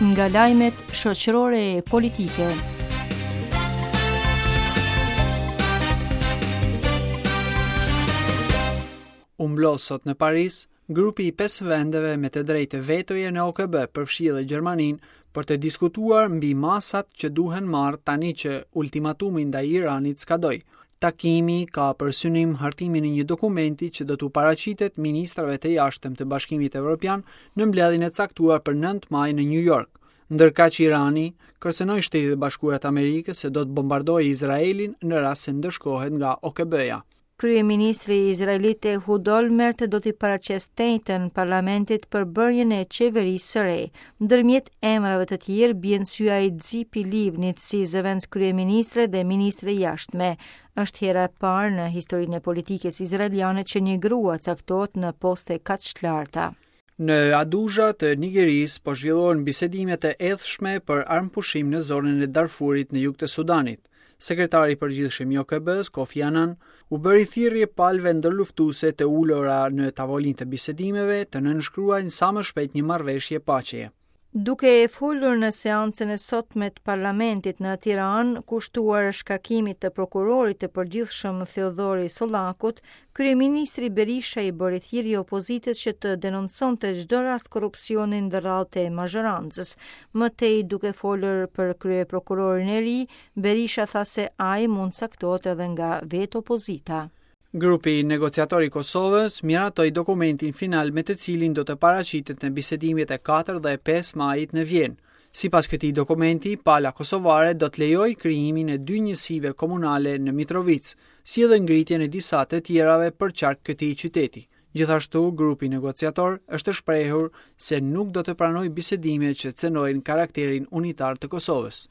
Nga lajmet shoqërore e politike. U mblodh sot në Paris, grupi i pesë vendeve me të drejtë vetoje në OKB, përfshi edhe Gjermaninë, për të diskutuar mbi masat që duhen marrë tani që ultimatumi ndaj Iranit skadoi. Takimi ka për synim hartimin e një dokumenti që do t'u paraqitet ministrave të jashtëm të Bashkimit Evropian në mbledhjen e caktuar për 9 maj në New York. Ndërkaq Irani kërcënoi Shtetet e Bashkuara të Amerikës se do të bombardojë Izraelin në rast se ndëshkohet nga OKB-ja. Kryeministri izraelit Ehud Olmert do t'i paraqesë të enjten parlamentit përbërjen e qeverisë së re. Ndërmjet emrave të tjerë bie në sy ai i Tzipi Livnit si zëvendëskryeministre dhe ministre e jashtme. Është hera e parë në historinë e politikës izraeliane që një grua caktohet në poste kaq të larta. Në Abuja të Nigerisë po zhvillohen bisedime të ethshme për armëpushim në zonën e Darfurit në jug të Sudanit. Sekretari i përgjithshëm i OKB-së, Kofi Annan, u bëri thirrje palëve ndërluftuese të ulura në tavolinë të bisedimeve të nënshkruajnë sa më shpejt një marrëveshje paqeje. Duke folur në seancën e sotme të Parlamentit në Tiranë, kushtuar shkarkimit të prokurorit të përgjithshëm Theodhori Sollakut, kryeministri Berisha i bëri thirrje opozitës që të denonconte çdo rast korrupsioni ndër radhët e mazhorancës. Më tej duke folur për kryeprokurorin e ri, Berisha tha se ai mund të caktohet edhe nga vetë opozita. Grupi negociator i Kosovës miratoi dokumentin final me të cilin do të paraqitet në bisedimet e 4 dhe 5 majit në Vjenë. Sipas këtij dokumenti, pala kosovare do të lejojë krijimin e dy njësive komunale në Mitrovicë, si edhe ngritjen e disa të tjerave përqark këtij qyteti. Gjithashtu, grupi negociator është shprehur se nuk do të pranojë bisedime që cenojnë karakterin unitar të Kosovës.